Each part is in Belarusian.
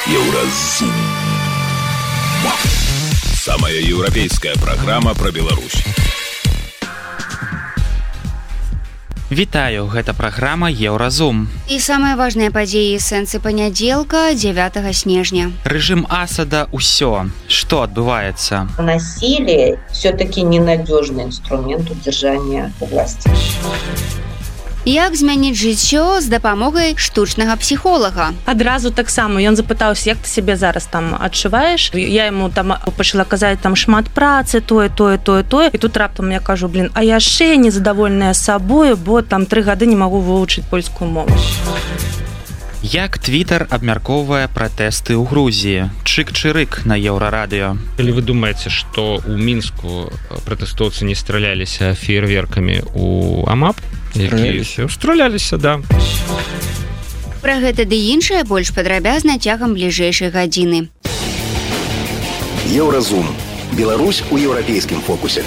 Еўразум. Самая еўрапейская праграма пра Беларусь. Вітаю, гэта праграма Еўразум. І самыя важныя падзеі і сэнсы панядзелка 9 снежня. Рэжым Асада ўсё. Што адбываецца? Насилие все-таки ненадежный инструмент удержания власти. Як змяніць жыццё з дапамогай штучнага псіхолага? Адразу таксама ён запытаўся, як ты сябе зараз там адчуваеш. Я яму там пачала казаць там шмат працы, тое. І тут раптам я кажу, а яшчэ незадаволеная сабою, бо там 3 гады не магу вывучыць польскую мову. Як Твиттер абмяркоўвае пратэсты ў Грузіі? Чык-чырык на Еўрарадыё. Калі вы думаеце, што ў Мінску пратэстоўцы не страляліся феерверкамі ў АМАП, якія страляліся, да. Пра гэта ды іншае больш падрабязна цягам бліжэйшай гадзіны. Еўразум. Беларусь у еўрапейскім фокусе.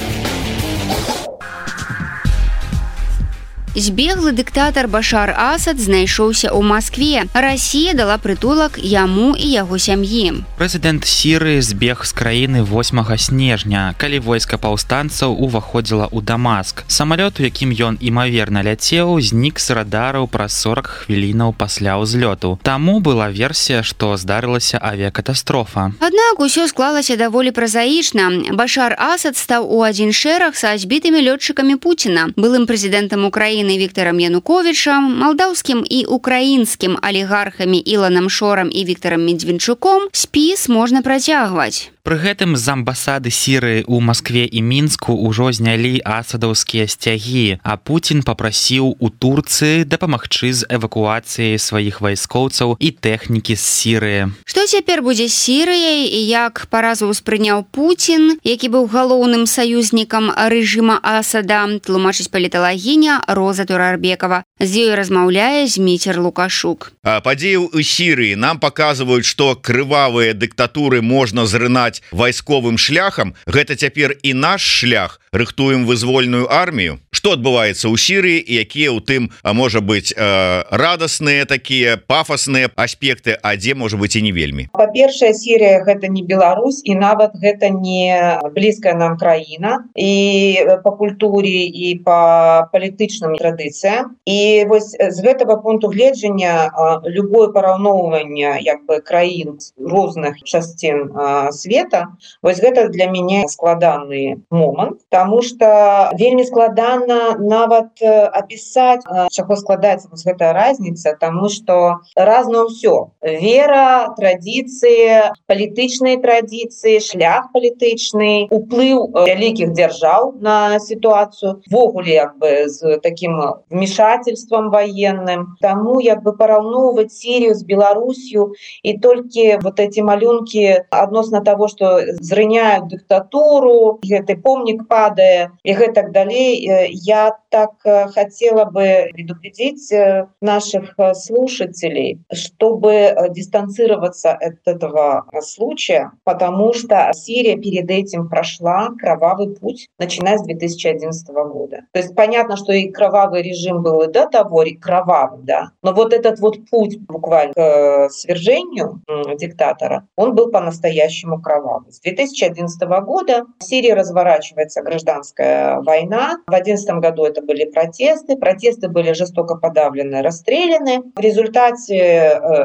Збеглы дыктатар Башар Асад знайшоўся ў Маскве. Расія дала прытулак яму і яго сям'і. Прэзідэнт Сірыі збег з краіны 8 снежня, калі войска паўстанцаў уваходзіла ў Дамаск. Самалёт, у якім ён імаверна ляцеў, знік з радараў праз 40 хвілінаў пасля ўзлёту. Таму была версія, што здарылася авіякатастрофа. Аднак усё склалася даволі празаічна. Башар Асад стаў у адзін шэраг са збітымі лётчыкамі Пуціна, былым прэзідэнтам Украіны Віктарам Януковічам, малдаўскім і украінскім алігархамі Іланам Шорам і Віктарам Медведчуком спіс можна працягваць. Пры гэтым з амбасады Сірыі ў Маскве і Мінску ўжо знялі асадаўскія сцягі, а Пуцін папрасіў у Турцыі дапамагчы з эвакуацыяй сваіх вайскоўцаў і тэхнікі з Сірыі. Што цяпер будзе з Сірыяй і як паразу ўспрыняў Пуцін, які быў галоўным саюзнікам рэжыма Асада, тлумачыць паліталагіня Роза Турарбекова. З ёй размаўляе Зміцер Лукашук. Падзеі ў Сірыі нам паказваюць, што крывавыя дыктатуры можна зрынаць вайсковым шляхам. Гэта цяпер і наш шлях. Рыхтуем вызвольную армію. Што адбываецца ў Сірыі і якія ў тым, можа быць, радасныя такія пафасныя аспекты, а дзе можа быць і не вельмі. Па-першае, Сірыя гэта не Беларусь і нават гэта не блізкая нам краіна і па культуры і па палітычным традыцыям. І вось з гэтага пункту гледжання любое параўноўванне краін розных часцін света, вось гэта для мяне складаны момант, таму што вельмі складана нават апісаць, чаго складаецца вось гэтая разніца, таму што разна ўсё. Вера, традыцыі, палітычныя традыцыі, шлях палітычны, уплыў вялікіх дзяржаў на сітуацыю, ввогуле з такім вмешательством военным. Таму параўноўваць Сірію з Беларусью і толькі вот эти малюнкі адносна того, што зрыняюць дыктатуру, гэты помнік падае і гэтак далей. Я так хотела бы предупредить наших слушателей, чтобы дистанцироваться от этого случая, потому что Сирия перед этим прошла кровавый путь, начиная с 2011 года. То есть понятно, что и кровавый режим был и до того, и кровавый, да. Но вот этот вот путь буквально к свержению диктатора, он был по-настоящему кровавый. С 2011 года в Сирии разворачивается гражданская война. В 2011 году это были протесты были жестоко подавлены, расстреляны. В результате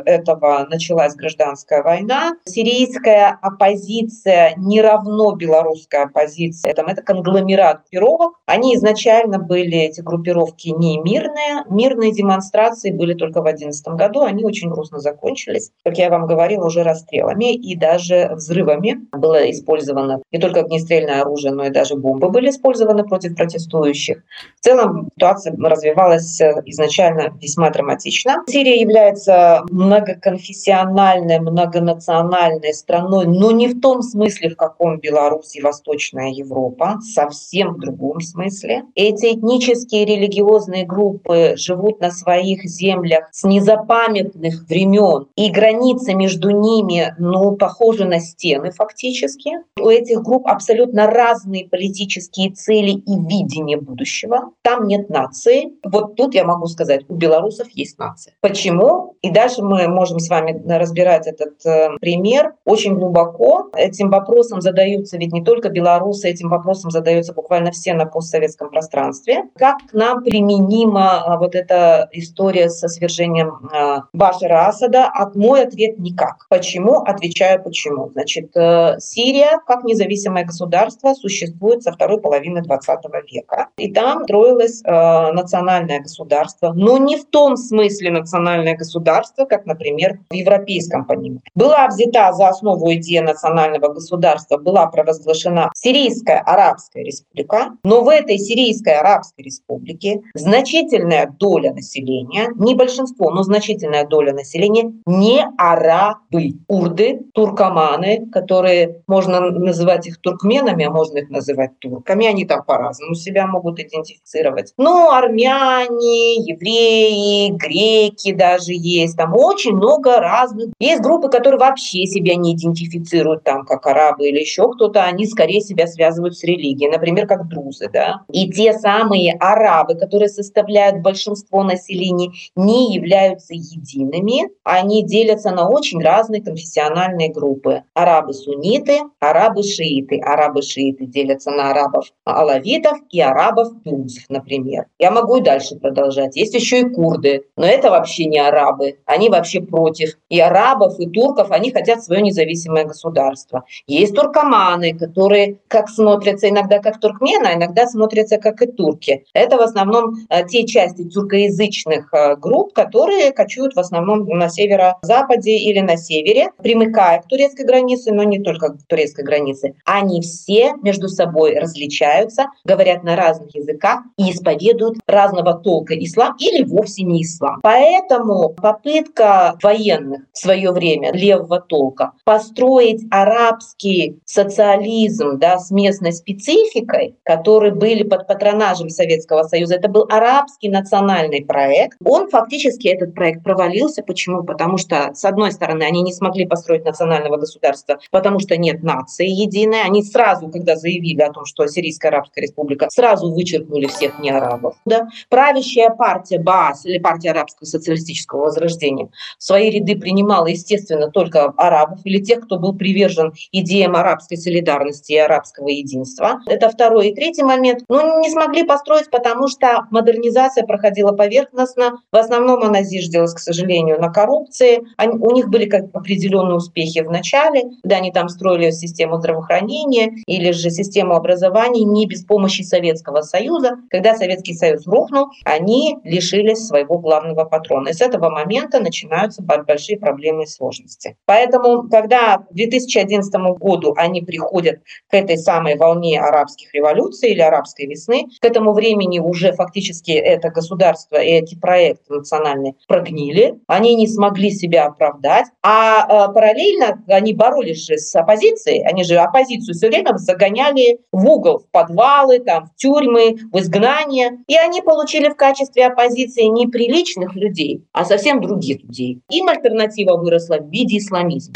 этого началась гражданская война. Сирийская оппозиция не равно белорусская оппозиция. Это конгломерат группировок. Они изначально были, эти группировки, не мирные. Мирные демонстрации были только в 2011 году. Они очень грустно закончились, как я вам говорила, уже расстрелами и даже взрывами. Было использовано не только огнестрельное оружие, но и даже бомбы были использованы против протестующих. В целом ситуация развивалась изначально весьма драматично. Сирия является многоконфессиональной, многонациональной страной, но не в том смысле, в каком Беларусь и Восточная Европа, совсем в другом смысле. Эти этнические и религиозные группы живут на своих землях с незапамятных времен, и границы между ними, похожи на стены фактически. У этих групп абсолютно разные политические цели и видение будущего. Там нет нации. Вот тут я могу сказать, у белорусов есть нация. Почему? И дальше мы можем с вами разбирать этот пример очень глубоко. Этим вопросом задаются ведь не только белорусы, этим вопросом задаются буквально все на постсоветском пространстве. Как к нам применима вот эта история со свержением Башара Асада? Мой ответ — никак. Почему? Отвечаю почему. Значит, Сирия как независимое государство существует со второй половины 20 века. И там строилось национальное государство, но не в том смысле национальное государство, как, например, в европейском понимании. Была взята за основу идея национального государства, была провозглашена Сирийская Арабская Республика, но в этой Сирийской Арабской Республике значительная доля населения, не большинство, но значительная доля населения не арабы, курды, туркоманы, которые можно называть их туркменами, а можно их называть турками, они там по-разному себя могут идентифицировать. Но армяне, евреи, греки даже есть, там очень много разных. Есть группы, которые вообще себя не идентифицируют там как арабы или еще кто-то, они скорее себя связывают с религией, например, как друзы, да. И те самые арабы, которые составляют большинство населения, не являются едиными, они делятся на очень разные конфессиональные группы. Арабы-сунниты, арабы-шииты. Арабы-шииты делятся на арабов-алавитов и арабов-друзов, например. Я могу и дальше продолжать. Есть еще и курды, но это вообще не арабы. Они вообще против и арабов, и турков. Они хотят свое независимое государство. Есть туркоманы, которые как смотрятся иногда как туркмены, а иногда смотрятся как и турки. Это в основном те части тюркоязычных групп, которые кочуют в основном на северо-западе или на севере, примыкая к турецкой границе, но не только к турецкой границе. Они все между собой различаются, говорят на разных языках и исповедуют разного толка ислам или вовсе не ислам. Поэтому попытка военных в свое время левого толка построить арабский социализм, да, с местной спецификой, которые были под патронажем Советского Союза, это был арабский национальный проект. Он фактически, этот проект, провалился. Почему? Потому что, с одной стороны, они не смогли построить национального государства, потому что нет нации единой. Они сразу, когда заявили о том, что Сирийская Арабская Республика, сразу вычеркнули всех неарабов. Да? Правящая партия БААС, или партия Арабского социалистического возрождения, в свои ряды принимала, естественно, только арабов или тех, кто был привержен идеям арабской солидарности и арабского единства. Это второй. И третий момент. Не смогли построить, потому что модернизация проходила поверхностно. В основном она зиждилась, к сожалению, на коррупции. У них были как определенные успехи в начале, когда они там строили систему здравоохранения или же систему образования не без помощи Советского Союза. Когда Советский Союз рухнул, они лишились своего главного патрона. И с этого момента начинаются большие проблемы и сложности. Поэтому, когда к 2011 году они приходят к этой самой волне арабских революций или арабской весны, к этому времени уже фактически это государство и эти проекты национальные прогнили, они не смогли себя оправдать, а параллельно они боролись же с оппозицией, они же оппозицию все время загоняли в угол, в подвалы, там, в тюрьмы, в изгнание, и они получили в качестве оппозиции не приличных людей, а совсем других людей. Им альтернатива выросла в виде исламизма.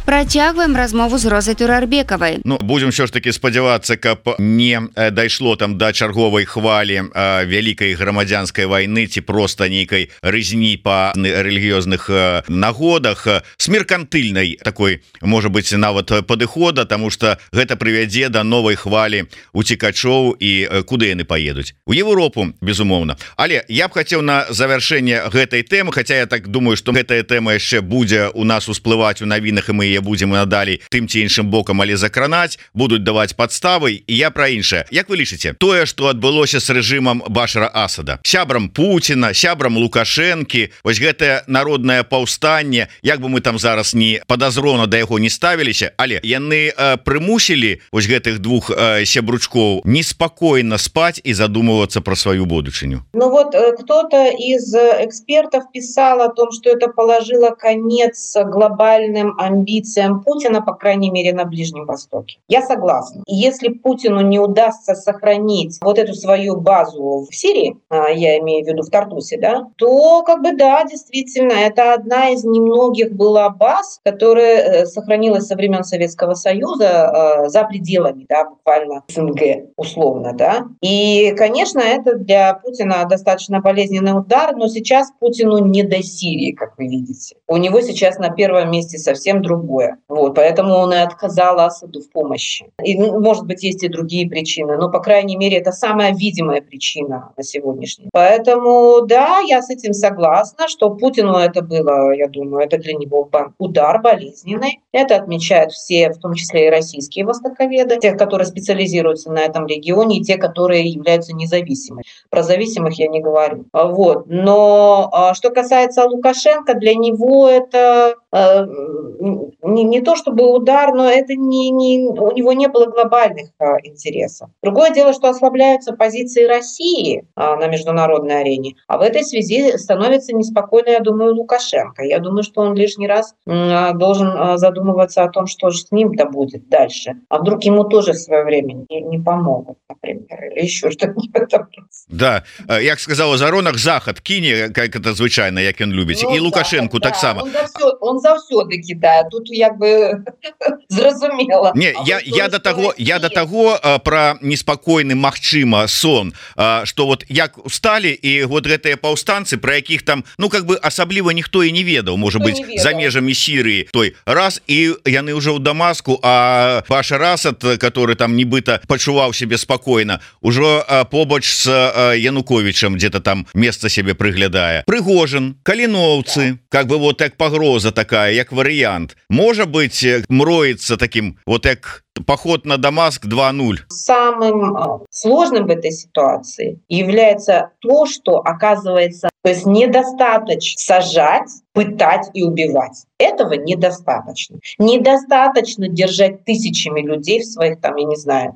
Працягваем размову з Розай Турарбекавай. Будем все ж таки спадзявацца, каб не дайшло там да чарговай хвалі вялікай грамадзянскай вайны ці проста нейкай рызні па рэлігіёзных нагодах с меркантыльнай такой, можа быць, нават падыхода, таму што гэта прывядзе да новай хвалі уцекачоў і куды яны паедуць? У Европу, безумоўна. Але я б хацеў на завяршэнне гэтай тэмы, хаця я так думаю, што гэтая тэма яшчэ будзе у нас усплываць у навінах, і мы будем надалей тым ці іншым бокам, але закранаць, будуць даваць падставы. І я пра іншае. Як вы лічыце, тое, што адбылося з рэжымам Башара Асада, сябрам Пуціна, сябрам Лукашэнкі, вось гэтае народнае паўстанне, як бы мы там зараз не падазрона да яго не ставіліся, але яны прымусілі вось гэтых двух сябручкоў неспакойна спаць і задумывацца пра сваю будучыню. Кто-то из экспертов писал о том, что это положило конец глобальным амбициям амбициям Путина, по крайней мере, на Ближнем Востоке. Я согласна. И если Путину не удастся сохранить вот эту свою базу в Сирии, я имею в виду в Тартусе, да, то да, действительно, это одна из немногих была баз, которая сохранилась со времен Советского Союза за пределами, да, буквально СНГ, условно, да. И, конечно, это для Путина достаточно болезненный удар, но сейчас Путину не до Сирии, как вы видите. У него сейчас на первом месте совсем другое. Вот, поэтому он и отказал Асаду в помощи. И, может быть, есть и другие причины, но, по крайней мере, это самая видимая причина на сегодняшний. Поэтому, да, я с этим согласна, что Путину это было, я думаю, это для него удар болезненный. Это отмечают все, в том числе и российские востоковеды, те, которые специализируются на этом регионе, и те, которые являются независимыми. Про зависимых я не говорю. Вот. Но что касается Лукашенко, для него это не то чтобы удар, но это у него не было глобальных интересов. Другое дело, что ослабляются позиции России на международной арене, а в этой связи становится неспокойно, я думаю, Лукашенко. Я думаю, что он лишний раз должен задумываться о том, что же с ним-то будет дальше. А вдруг ему тоже в свое время не помогут, например, или еще что-нибудь в этом. Да, як сказала Заронах, Захад кине, как это звычайно, як он любит, и Лукашенко так само. Он заўсёды кидает, тут зразумела. Не, я до того про неспокойный магчыма сон, что вот як устали, и вот гэтыя паўстанцы, про якіх там, асабліва ніхто і не ведаў, может быть, за межамі Сирии, той раз, и яны уже ў Дамаску, а Башар Асад, который там нібыта пачуваў себе спокойно, ужо побач с Януковичем где-то там место себе прыглядае. Прыгожин, Калиновцы, вот як пагроза такая, як вариант, может быть, мроится таким, вот як поход на Дамаск 2.0. Самым сложным в этой ситуации является то, что оказывается, то есть недостаточно сажать, пытать и убивать. Этого недостаточно. Недостаточно держать тысячами людей в своих,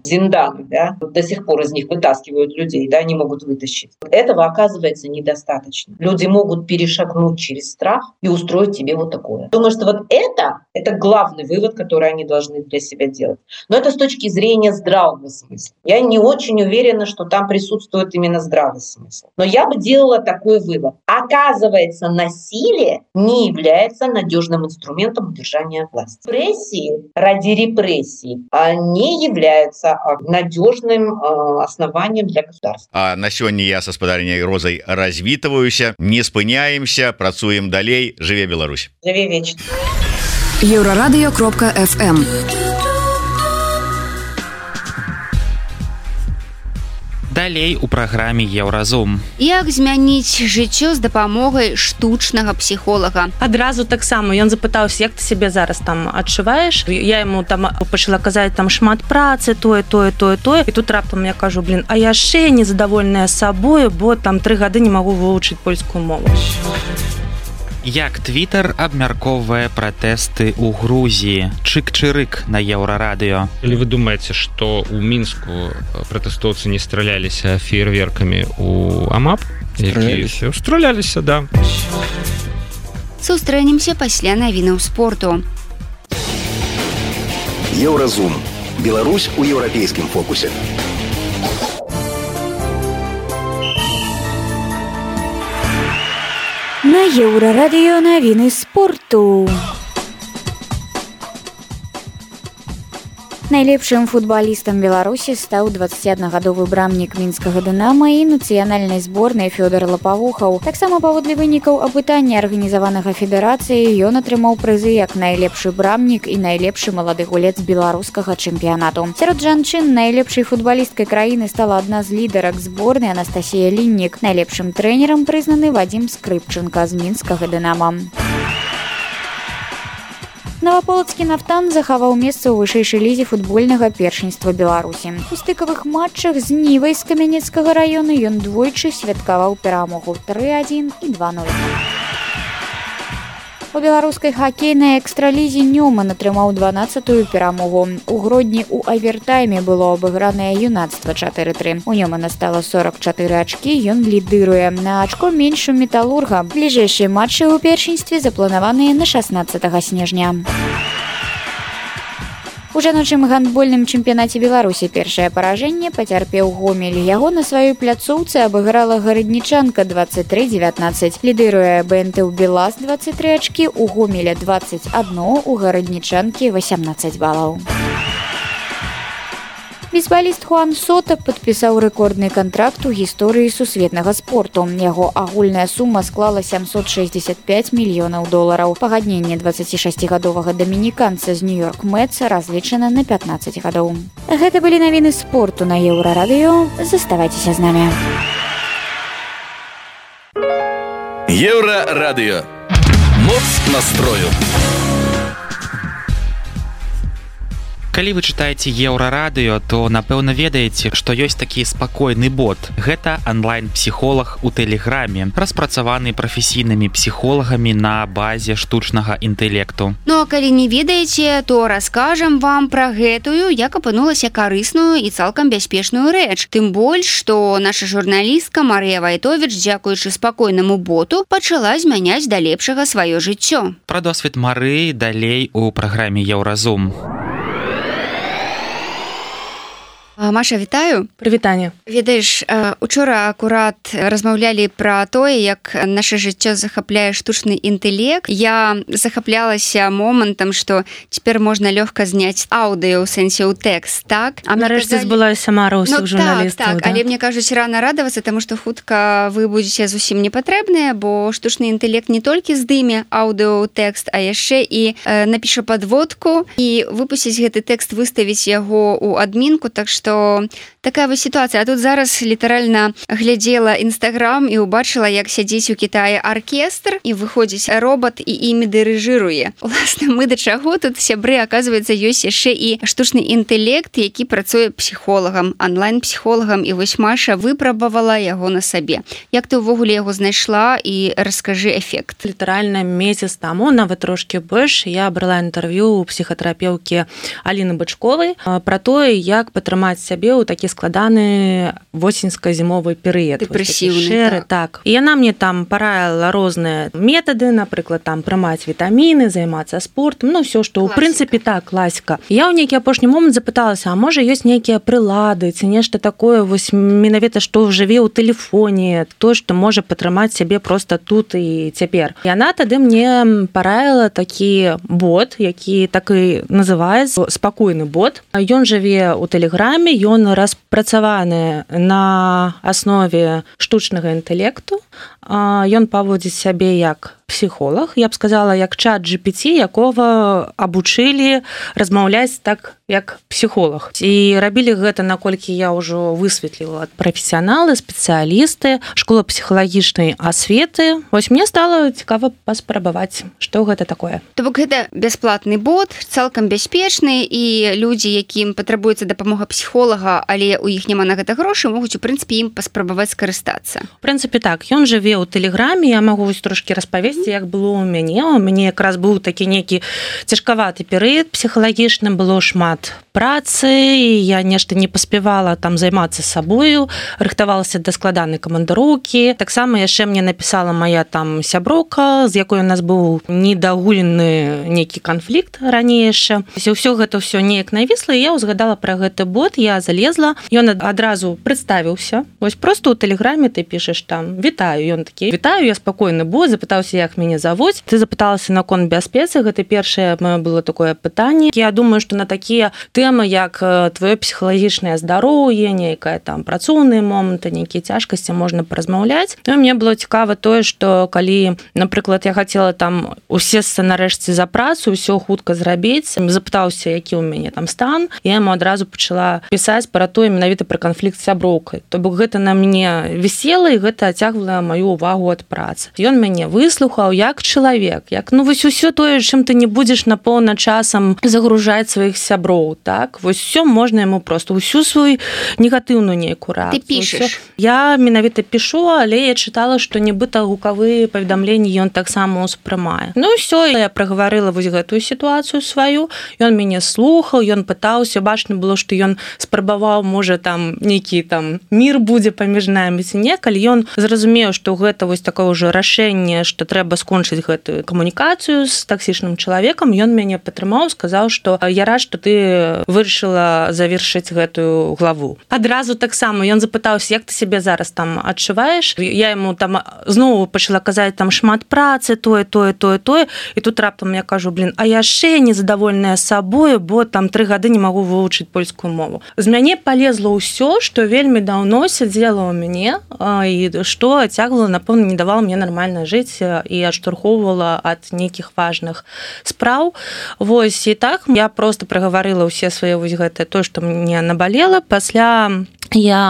зинданах, да? До сих пор из них вытаскивают людей, да, не могут вытащить. Этого оказывается недостаточно. Люди могут перешагнуть через страх и устроить тебе вот такое. Думаю, что это главный вывод, который они должны для себя делать. Но это с точки зрения здравого смысла. Я не очень уверена, что там присутствует именно здравый смысл. Но я бы делала такой вывод. Оказывается, насилие не является надежным инструментом удержания власти. Репрессии ради репрессий не являются надежным основанием для государства. А на сегодня я со спадарняй Розой развітваюся, не спыняемся, працуем далей. Жыве Беларусь. Жыве вечно. Еврорадио.FM. Далей у праграме Еўразум. Як змяніць жыццё з дапамогай штучнага псіхолага? Адразу таксама ён запытаўся, як ты сябе зараз там адчуваеш? Я яму там пачала казаць там шмат працы, тое. І тут раптам я кажу, а яшчэ незадаволеная сабою, бо там 3 гады не магу вывучыць польскую мову. Як Твиттер абмяркоўвае пратэсты ў Грузіі? Чык-чырык на Еўрарадыё. Или вы думаете, что у Минску протестовцы не стрелялись фейерверками у АМАП? Стрелялись, да. Сустрэнемся пасля навінаў спорту. Еўразум. Беларусь у еўрапейскім фокусе. На Еўрарадыё навіны спорту. Найлепшым футбалістам Беларусі стаў 21гадовы брамнік мінскага «Дынама» і нацыянальнай зборнай Фёдор Лапавухаў. Таксама паводле вынікаў апытання арганізаванага федэрацыі ён атрымаў прызы як найлепшы брамнік і найлепшы малады гулец беларускага чэмпіянату. Сярод жанчын найлепшай футбалісткай краіны стала адна з лідарак зборнай Анастасія Ліннік. Найлепшым трэнерам прызнаны Вадзім Скрыпчынка з мінскага «Дынама». Новаполацкі «Нафтан» захаваў месца ў вышэйшай лізе футбольнага першынства Беларусі. У стыкавых матчах з Нівай з Камянецкага раёна ён двойчы святкаваў перамогу 3-1 і 2-0. У беларускай хакейнай экстралізе Нёман атрымаў 12-ю перамогу. У Гродні ў авертайме было абыгранае юнацтва 4-3. У Нёмана стала 44 ачкі, ён лідыруе. На ачко менш у Металурга. Бліжэйшыя матчы ў першынстве запланаваныя на 16 снежня. У жаночым гандбольным чэмпіянаце Беларусі першае паражэнне пацярпеў Гомель. Яго на сваёй пляцоўцы абыграла гараднічанка 23-19. Лідыруе БНТ ў Белас 23 ачкі, у Гомеля 21, у гараднічанкі 18 балаў. Бейсбаліст Хуан Сота падпісаў рэкордны кантракт у гісторыі сусветнага спорту. Яго агульная сума склала $765 мільёнаў. Пагадненне 26-гадовага дамініканца з Нью-Йорк Мэтс разлічана на 15 гадоў. Гэта былі навіны спорту на Еўрарадыё. Заставайцеся з намі. Еўрарадыё. Моц настрою. Калі вы чытаеце Еўрарадыё, то, напэўна, ведаеце, што ёсць такі спакойны бот. Гэта онлайн-псіхолог у Тэлеграме, распрацаваны прафесійнымі псіхолагамі на базе штучнага інтэлекту. Ну а калі не ведаеце, то раскажам вам пра гэтую, як апынулася карысную і цалкам бяспечную рэч. Тым больш, што наша журналістка Марыя Вайтовіч, дзякуючы спакойнаму боту, пачала змяняць да лепшага сваё жыццё. Пра досвед Марыі далей у праграме Еўразум. Маша, вітаю. Прывітанне. Ведаеш, учора акурат размаўлялі пра тое, як наша жыццё захапляе штучны інтэлект. Я захаплялася момантам, што цяпер можна лёгка зняць аўдыё ў сэнсе ў тэкст, так? А нарэшце збылася мара ўсіх журналістаў. Так, але мне кажуць, рана радавацца, таму што хутка вы будзеце зусім непатрэбныя, бо штучны інтэлект не толькі здыме аўдыё ў тэкст, а яшчэ і напіша падводку і выпусціць гэты тэкст, выставіць яго ў адмінку, так што такая вось сітуацыя. А тут зараз літаральна глядзела Інстаграм і ўбачыла, як сядзіць у Кітаі аркестр і выходзіць робот і імі дырыжыруе. Уласна, мы да чаго тут, сябры, аказваецца, ёсць яшчэ і штучны інтэлект, які працуе псіхолагам, онлайн-псіхолагам, і вось Маша выпрабавала яго на сабе. Як ты ўвогуле яго знайшла і раскажы эфект? Літаральна месяц таму, нават трошкі больш, я брала інтэрв'ю у псіхатэрапеўкі Аліны Бачковай пра тое, як патрымаць сябе ў такі складаны восеньска-зімовы перыяд. Дэпрэсіўны, так. І яна мне там параіла розныя метады, напрыклад, там прымаць вітаміны, займацца спортам, ну, ўсё, што, ў прынцыпе, так, класіка. Я ў нейкі апошні момант запыталася, а можа, ёсць нейкія прылады, ці нешта такое, вось, менавіта, што жыве ў тэлефоне, то, што можа патрымаць сябе проста тут і цяпер. Яна тады мне параіла такі бот, які так і называецца спакойны бот. Ён жыве ў Тэлеграме, ён распрацаваны на аснове штучнага інтэлекту. Ён паводзіць сябе як псіхолог, я б сказала, як чат GPT, якога абучылі размаўляць так, як псіхолог. І рабілі гэта, наколькі я ўжо высветліла, прафесіяналы, спецыялісты, школа псіхалагічнай асветы. Вось мне стала цікава паспрабаваць, што гэта такое. То бок гэта бясплатны бот, цалкам бяспечны, і людзі, якім патрабуецца дапамога псіхолага, але ў іх няма на гэта грошы, могуць, у прынцыпе, ім паспрабаваць скарыстацца. У прынцыпе, так, ён жыве ў Тэлеграме, я магу вось трошкі распавесці, як было ў мяне. У мяне якраз быў такі нейкі цяжкаваты перыяд псіхалагічны, было шмат працы, і я нешта не паспявала там займацца сабою, рыхтавалася да складанай камандароўкі. Таксама яшчэ мне напісала мая там сяброўка, з якой у нас быў недагулены нейкі канфлікт ранейшы. Усё гэта ўсё неяк навісла, і я ўзгадала пра гэты бот, я залезла, ён адразу прадставіўся. Вось просто ў Тэлеграме ты пішаш там «Вітаю», ён такі «Вітаю, я спакойны бот», запытаўся, як мяне завуць. Ты запыталася наконт бяспецы, гэта першае маё было такое пытанне. Я думаю, што на такія тэмы, як твоё псіхалагічнае здароўе, нейкае там працоўныя моманты, нейкія цяжкасці можна паразмаўляць. Ну, мне было цікава тое, што калі, напрыклад, я хацела там усесці нарэшце за працу, ўсё хутка зрабіць, запытаўся, які ў мяне там стан, я яму адразу пачала пісаць пра тое, менавіта пра канфлікт з сяброўкай. То бок гэта на мне вісела, і гэта адцягвала маю увагу ад працы. Ён мяне выслухаў як чалавек, як, ну, вось усё тое, чым ты не будзеш напоўна часам загружаць сваіх сяброў, так? Вось усё можна яму проста, усю сваю негатыўную нейкую рэакцыю. Ты пішаш? Я менавіта пішу, але я чытала, што нібыта гукавыя паведамленні ён таксама ўспрымае. Ну, ўсё, я прагаварыла вось гэтую сітуацыю сваю, ён мяне слухаў, ён пытаўся, бачна было, што ён спрабаваў, можа, там нейкі там мір будзе паміж намі ці не, калі ён зразумеў, што гэта вось такое ўжо рашэнне, што трэба трэба скончыць гэтую камунікацыю з таксічным чалавекам, ён мяне падтрымаў, сказаў, што я рад, што ты вырашыла завершыць гэтую главу. Адразу таксама ён запытаўся, як ты сябе зараз там адчуваеш. Я яму там зноў пачала казаць там шмат працы, тое, і тут раптам я кажу, а яшчэ незадавольная сабою, бо там 3 гады не магу вывучыць польскую мову. З мяне полезла ўсё, што вельмі даўно сядзела ў мяне і што цягвала, напэўна, не давала мне нармальна жыць і адштурхоўвала ад нейкіх важных спраў. Вось, і так я просто прагаварыла ўсе свае вось гэтае, тое, што мне набалела. Пасля я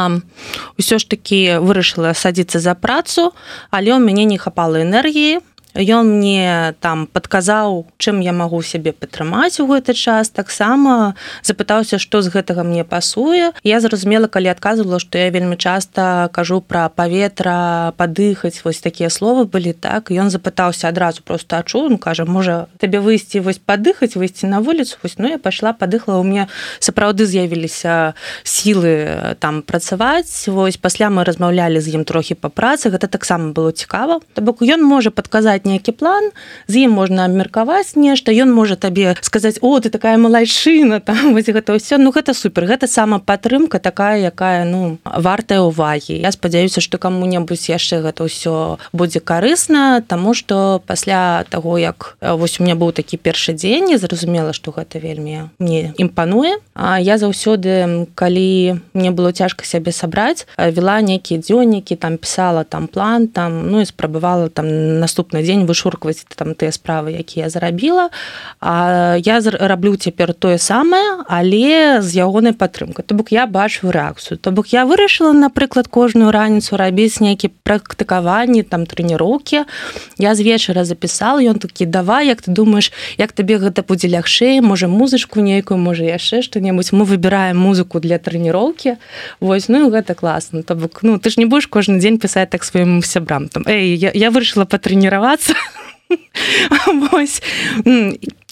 ўсё ж такі вырашыла садзіцца за працу, але ў мяне не хапала энергіі. Ён мне там падказаў, чым я магу сябе падтрымаць у гэты час, таксама запытаўся, што з гэтага мне пасуе. Я зразумела, калі адказвала, што я вельмі часта кажу пра паветра, падыхаць, вось такія словы былі, так. Ён запытаўся адразу просто адчуў, кажа, можа, табе выйсці вось падыхаць, выйсці на вуліцу, вось, я пайшла, падыхла, у мяне сапраўды з'явіліся сілы там працаваць. Вось, пасля мы размаўлялі з ім трохі па працы, гэта таксама было цікава. То бок ён можа падказаць нейкі план, з ім можна абмеркаваць нешта, ён можа табе сказаць, о, ты такая малайчына, там, вось гэта ўсё, гэта супер, гэта самапатрымка такая, якая, вартая ўвагі. Я спадзяюся, што каму-небудзь яшчэ гэта ўсё будзе карысна, таму што пасля таго, як вось у меня быў такі першы дзень, я зразумела, што гэта вельмі мне імпануе. А я заўсёды, калі мне было цяжка сябе сабраць, вела нейкія дзённікі, там пісала там план, там, і спрабавала там наступны дзень вышуркваць там тыя справы, якія я зарабіла. А я раблю цяпер тое самае, але з ягонай падтрымкай. То бок я бачу рэакцыю. То бок я вырашыла, напрыклад, кожную раніцу рабіць нейкі практыкаванні, там трэніроўкі. Я з вечара запісала, ён такі, давай, як ты думаеш, як табе гэта будзе лягчэй, можа музычку нейкую, можа яшчэ што-небудзь. Мы выбіраем музыку для трэніроўкі. Вось, гэта класна. То бок, ты ж не будеш кожны дзень пісаць так сваім сябрам. Там, я вырашыла патрэніравацца. Вось.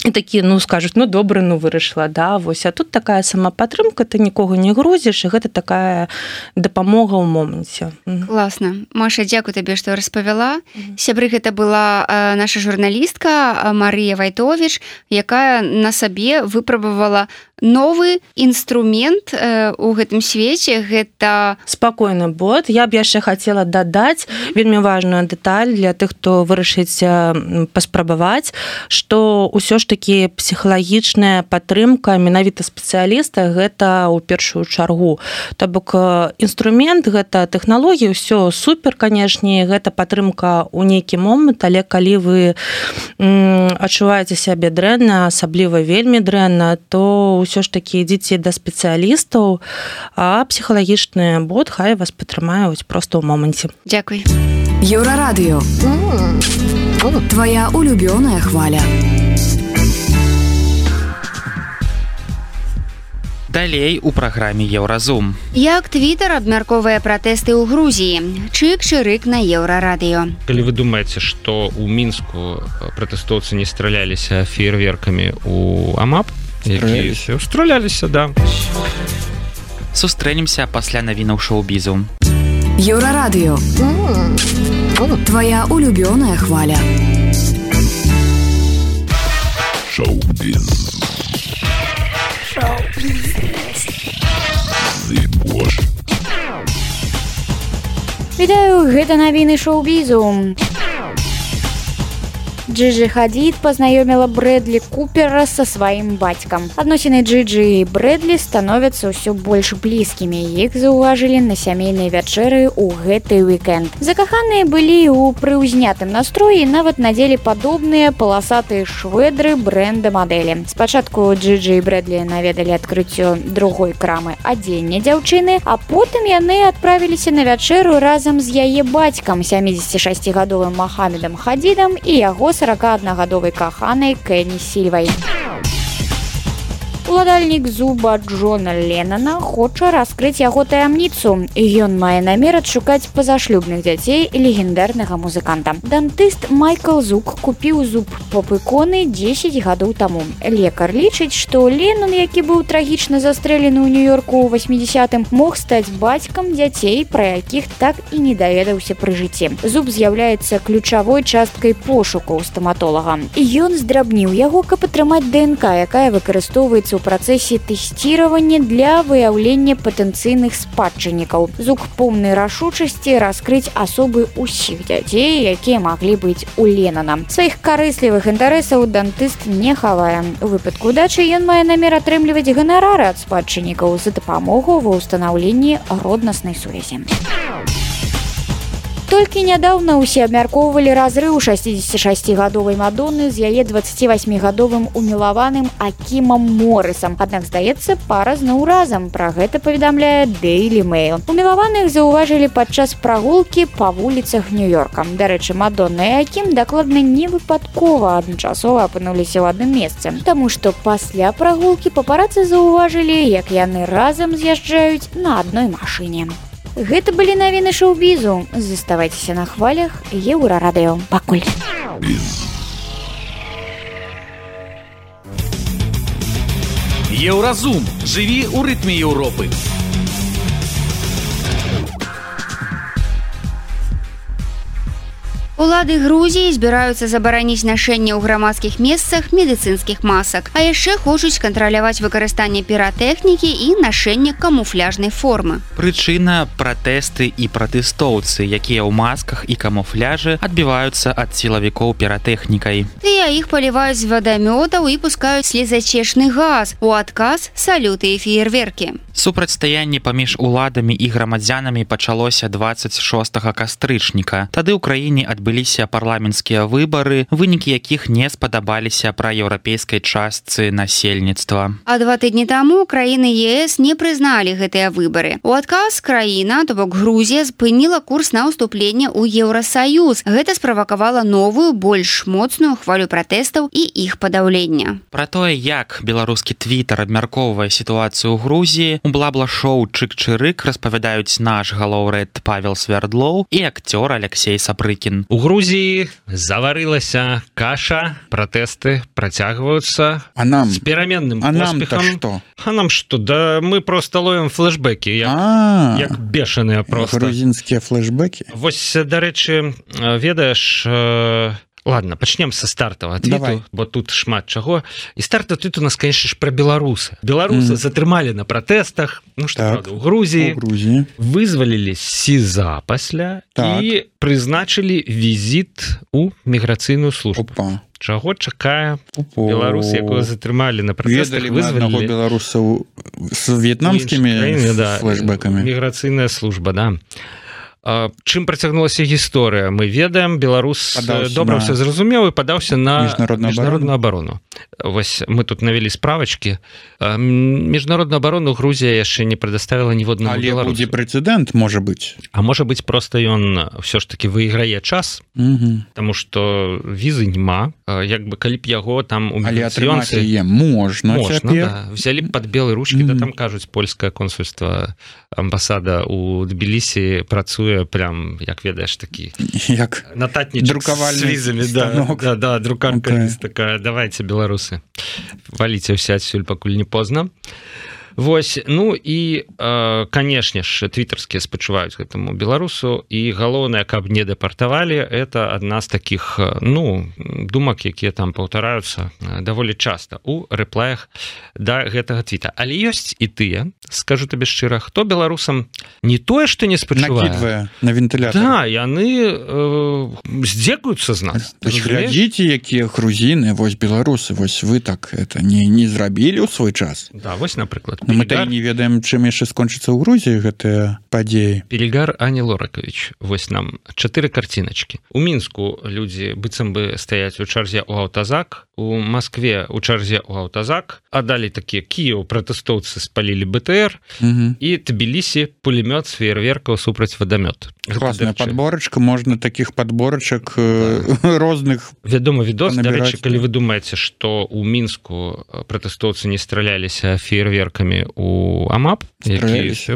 І такі, скажуць, добра, вырашыла, да, вось. А тут такая самапатрымка, ты нікога не грузіш, і гэта такая дапамога ў моманце. Класна. Маша, дзякуй табе, што распавяла. Сябры, гэта была наша журналістка Марыя Вайтовіч, якая на сабе выпрабавала новы інструмент у гэтым свеце, гэта спакойны бот. Я б яшчэ хацела дадаць вельмі важную дэталь для тых, хто вырашыць паспрабаваць, што ўсё ж такі псіхалагічная падтрымка менавіта спецыяліста гэта ў першую чаргу. То бок інструмент, гэта тэхналогія, ўсё супер, канешне, гэта падтрымка ў нейкі момант, але калі вы адчуваеце сябе дрэнна, асабліва вельмі дрэнна, то ўсё ж такі ідзіце да спецыялістаў, а псіхалагічны бот хай вас падтрымаюць проста ў моманце. Дзякуй. Еўрарадыё. Твоя улюбёная хваля. Далей у праграме Еўразум. Як Твітер абмяркоўвае пратэсты ў Грузіі? Чык-чырык на Еўрарадыё. Калі вы думаеце, што ў Мінску пратэстоўцы не страляліся феерверкамі ў АМАП, якія страляліся, да. Сустрэнемся пасля навінаў шоу-бізу. Еўрарадыё. Твоя улюбёная хваля. Шоу-біз. Вітаю, гэта навіны шоу-бізу. Джиджи Хадид познаёміла Брэдлі Купера са сваім бацькам. Адносіны Джиджи і Брэдлі становяцца ўсё больш блізкімі. Іх заўважылі на сямейнай вячэры ў гэты уікенд. Закаханыя былі ў прыўзнятым настроі, нават надзелі падобныя паласатыя швэдры брэнда мадэлі. Спачатку Джиджи і Брэдлі наведалі адкрыццё другой крамы адзення дзяўчыны, а потым яны адправіліся на вячэру разам з яе бацькам, 76-гадовым Махамедам Хадидам і яго 41-гадовай каханай Кэні Сільвай. Уладальнік зуба Джона Леннона хоча раскрыць яго таямніцу. Ён мае намер адшукаць пазашлюбных дзяцей легендарнага музыканта. Дантыст Майкл Зук купіў зуб поп-іконы 10 гадоў таму. Лекар лічыць, што Леннон, які быў трагічна застрэлены ў Нью-Йорку ў 80-м, мог стаць бацькам дзяцей, пра якіх так і не даведаўся пры жыцці. Зуб з'яўляецца ключавой часткай пошукаў стаматолага. Ён здрабніў яго, каб атрымаць ДНК, якая выкарыстоўваецца ў працэсе тэсціравання для выяўлення патэнцыйных спадчыннікаў. Зук поўнай рашучасці раскрыць асобы ўсіх дзяцей, якія маглі быць у Леннона. Сваіх карыслівых інтарэсаў дантыст не хавае. У выпадку дачы ён мае намер атрымліваць ганарары ад спадчыннікаў за дапамогу ва ўстанаўленні роднаснай сувязі. Толькі нядаўна ўсе абмяркоўвалі разрыў 66-гадовай Мадонны з яе 28-гадовым умілаваным Акімам Моррысам. Аднак, здаецца, пара зноў разам. Пра гэта паведамляе Daily Mail. Умілаваных заўважылі падчас прагулкі па вуліцах Нью-Йорка. Дарэчы, Мадонна і Акім дакладна не выпадкова адначасова апынуліся ў адным месцы. Таму што пасля прагулкі папарацы заўважылі, як яны разам з'язджаюць на адной машыне. Гэта былі навіны шоу-бізу. Заставайцеся на хвалях Еўрарадыё. Пакуль. Еўразум. Жыві ў рытме Еўропы. Улады Грузіі збіраюцца забараніць нашэнне ў грамадскіх месцах медыцынскіх масак, а яшчэ хочуць кантраляваць выкарыстанне піратэхнікі і нашэнне камуфляжнай формы. Прычына – пратэсты і пратэстоўцы, якія ў масках і камуфляжы адбіваюцца ад сілавікоў піратэхнікай. Тыя іх паліваюць з вадамётаў і пускаюць слезачечны газ. У адказ – салюты і феерверкі. Супрацьстаянне паміж уладамі і грамадзянамі пачалося 26 кастрычніка. Тады ў краіне адбыліся парламенцкія выбары, вынікі якіх не спадабаліся праеўрапейскай частцы насельніцтва. А 2 тыдні таму краіны ЕС не прызналі гэтыя выбары. У адказ краіна, то бок Грузія, спыніла курс на ўступленне ў Еўрасаюз. Гэта справакавала новую, больш моцную хвалю пратэстаў і іх падаўлення. Пра тое, як беларускі твітар абмяркоўвае сітуацыю ў Грузіі, у бла-бла-шоу «Чык-чырык» распавядаюць наш галоўрэд Павел Свярдлоў і акцёр Алексей Сапрыкін. У Грузіі заварылася каша, пратэсты працягваюцца з пераменным поспехам. А нам што? Да мы проста ловім флешбекі, як бешаныя проста. Грузінскія флешбекі? Вось, дарэчы, ведаеш... Ладно, пачнем са стартавага твіту, бо тут шмат чаго. І стартавы твіт у нас, конечно ж, пра беларусы. Беларусы затрымалі на пратэстах, ну што, правда, у Грузіі. Вызвалілі СІЗА пасля і прызначылі візіт у міграцыйную службу. Чаго чакае беларус, якого затрымалі на пратэстах, вызвалілі. Ведалі мы аднаго беларусаў з в'етнамскімі флешбэкамі. Міграцыйная служба, да. Чым працягнулася гісторыя? Мы ведаем, беларус добра ўсё зразумеў і падаўся на міжнародную абарону. Вось мы тут навялі справачкі. Міжнародную абарону Грузія яшчэ не прадоставіла ніводнаму беларусу. Але будзе прэцэдэнт, можа быць. А можа быць, проста ён ўсё ж таки выйграе час, таму што візы няма. Як бы калі б яго там у міграцыёнцы... Але атрымаць яе можна цяпер. Взялі б пад белыя ручкі, да там кажуць, польскае консульства, амбасада ў Тбілісі працуе прям, як ведаеш, такі нататнічак з візамі. Да, друкарка есть такая. Давайте, беларусы, валіце ўсе адсюль, пакуль не позна. Вось, ну і, канешне ж, твітарскія спачуваюць гэтаму беларусу, і галоўнае, каб не дэпартавалі, это адна з такіх, ну, думак, якія там паўтараюцца даволі часта ў рэплаях да гэтага твіта. Але ёсць і тыя, скажу табе шчыра, хто беларусам не тое, што не спачувае, накідвае на вентылятор. Да, яны здзекуюцца з нас. Глядзіце, якія грузіны, вось беларусы, вось вы так это не зрабілі ў свой час. Да, вось, напрыклад. Мы не ведаем, чым яшчэ скончыцца ў Грузіі гэтыя падзеі. Перегар Ані Лоракович. Вось нам 4 карціначкі. У Мінску людзі быццам бы стаяць у чарзе ў аўтазак, у Москве у чарзе ў аўтазак, а далей такія Кіеў пратэстоўцы спалілі БТР і Тбілісі пулемёт з феерверкаў супраць вадамёт. Класная падборачка, можна такіх падборачак розных. Вядома відос, дарэчы, калі вы думаеце, што ў Мінску пратэстоўцы не страляліся феерверкамі у АМАП,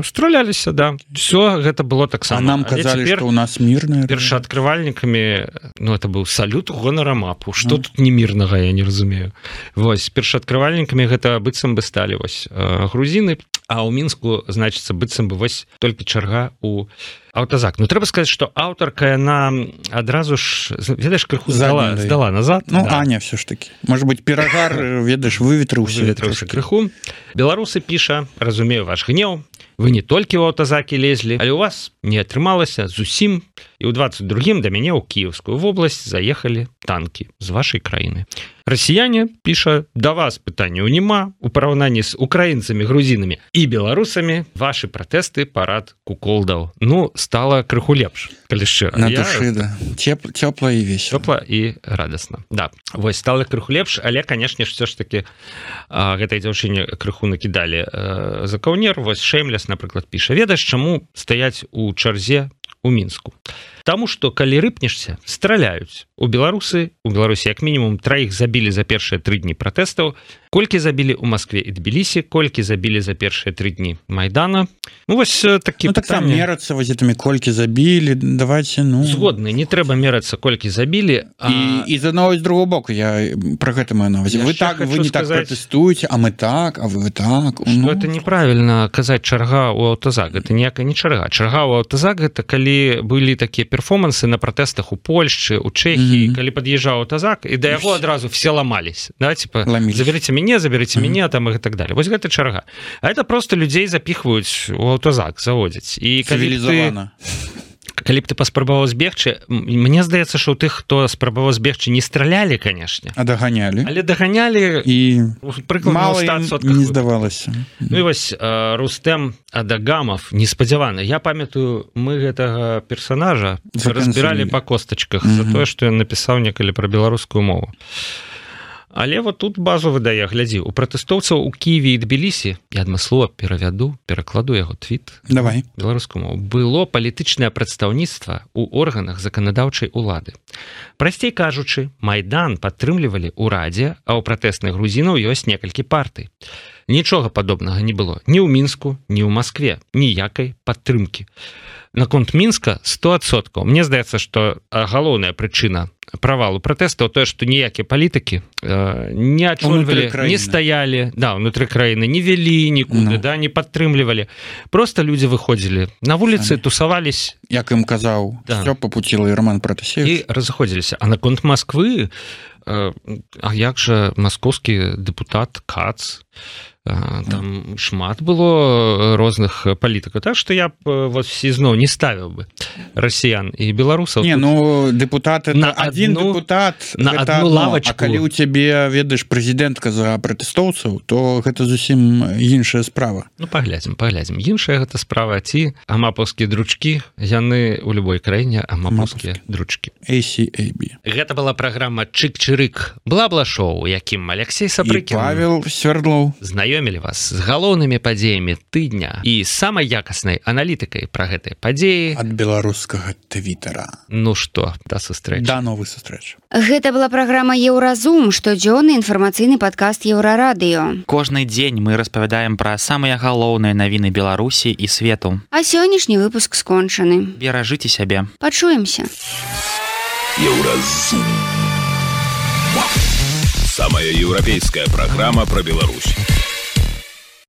страляліся, да. Все гэта было таксама. А нам казалі, што ў нас мірныя. Першааткрывальнікамі, ну, это быў салют гонар АМАПу. Што тут не мірнага, я не разумею. Вось, першааткрывальнікамі гэта быццам бы сталі вось грузіны, а ў Мінску, значыцца, быццам бы вось толькі чарга у аўтазак. Ну, трэба сказаць, што аўтарка, яна адразу ж, ведаеш, крыху здала назад. Ну, да. Аня все ж таки. Может быть, перагар, ведаеш, выветрыўся крыху. Беларусы піша, разумею ваш гнеў, вы не толькі ў аўтазакі лезлі, але ў вас не атрымалася зусім, і ў 22-м да мяне ў Кіеўскую вобласць заехалі танкі з вашай краіны. Расіяне піша, да вас пытанняў няма, у параўнанні з украінцамі, грузінамі і беларусамі вашы пратэсты парад куколдаў. Ну, стала крыху лепш, калі шчыра. На душы, да. Цёпла і весела. Цёпла і радасна. Да, вось стала крыху лепш, але, канешне ж, все ж таки гэтай дзяўчыне крыху накідалі за каўнер. Вось Шеймлес, напрыклад, піша, ведаеш, чаму стаяць у чарзе у Мінску? Таму што калі рыпнешся, страляюць. У Беларусі як мінімум 3 забілі за першыя 3 дні пратэстаў, колькі забілі ў Москве і Тбілісі, колькі забілі за першыя 3 дні Майдана. Ну вось такі так там мерацца вось гэтымі колькі забілі, давайте, ну. Згодны, не трэба мерацца колькі забілі. І з аднаго і з другого боку, я пра гэта маю на ўвазе. Вы не так пратэстуеце, а мы так, а вы так. Што это неправільна казаць чарга ў аўтазак, гэта ніякая не чарга. Чарга ў аўтазак гэта калі былі такія перформансы на пратэстах у Польшчы, у Чэхіі, калі пад'язджаў аўтазак, і да яго адразу все ламались, да, типа, заберите мяне, там і так далее. Вось гэта чарга. А это просто людзей запіхваюць у аўтазак, заводзяць. І калі б ты паспрабаваў збегчы, мне здаецца, што ў тых, хто спрабаваў збегчы, не стралялі, канешне. А даганялі. Але даганялі і мала ім не здавалася. Ну і вось Рустэм Адагамов, неспадзяваны. Я памятаю, мы гэтага персонажа разбіралі па костачках за тое, што ён напісаў некалі пра беларускую мову. Але вот тут базу выдае, глядзі, у пратэстоўцаў у Кіеве і Тбілісі, я адмыслова перакладу яго твіт, давай, беларускую мову, было палітычнае прадстаўніцтва ў органах заканадаўчай улады. Прасцей кажучы, Майдан падтрымлівалі ў Радзе, а ў пратэсных грузінаў ёсць некалькі партый. Нічога падобнага не было ні ў Мінску, ні ў Маскве, ніякай падтрымкі. Наконт Мінска 100%. Мне здаецца, што галоўная прычына правалу пратэстаў тое, што ніякія палітыкі не ачольвалі, не стаялі, да, унутры краіны, не вялі нікуды, да, не падтрымлівалі. Просто людзі выходзілі на вуліцы, тусавались. Як ім казаў, да. Стёпа Пуціла і Роман Пратасевіч. І разыходзіліся. А наконт Масквы, а як жа маскоўскі дэпутат Кац, там шмат было розных палітыкаў, так што я б вот зноў не ставіў бы расіян і беларусаў. Не, ну депутат это один депутат на одну лавочку. А калі ў цябе ведаеш прэзідэнтка за пратэстоўцаў, то гэта зусім іншая справа. Ну паглядзім. Іншая гэта справа, ці амапаўскія дручкі, яны ў любой краіне амапаўскія дручкі. ACAB. Гэта была праграма Чык-чырык бла-бла-шоу, якім Алексей Сапрыкін і Павел Свердлоў знаёмілі вас з галоўнымі падзеямі тыдня і самай якаснай аналітыкай пра гэтыя падзеі ад беларускага твіттера. Ну што, да сустрэчы. Да новых сустрэч. Гэта была праграма Еўразум, штодзённы інфармацыйны падкаст Еўрарадыё. Кожны дзень мы распавядаем пра самыя галоўныя навіны Беларусі і свету. А сённяшні выпуск скончаны. Беражыце сябе. Пачуемся. Еўразум. Самая еўрапейская праграма пра Беларусь.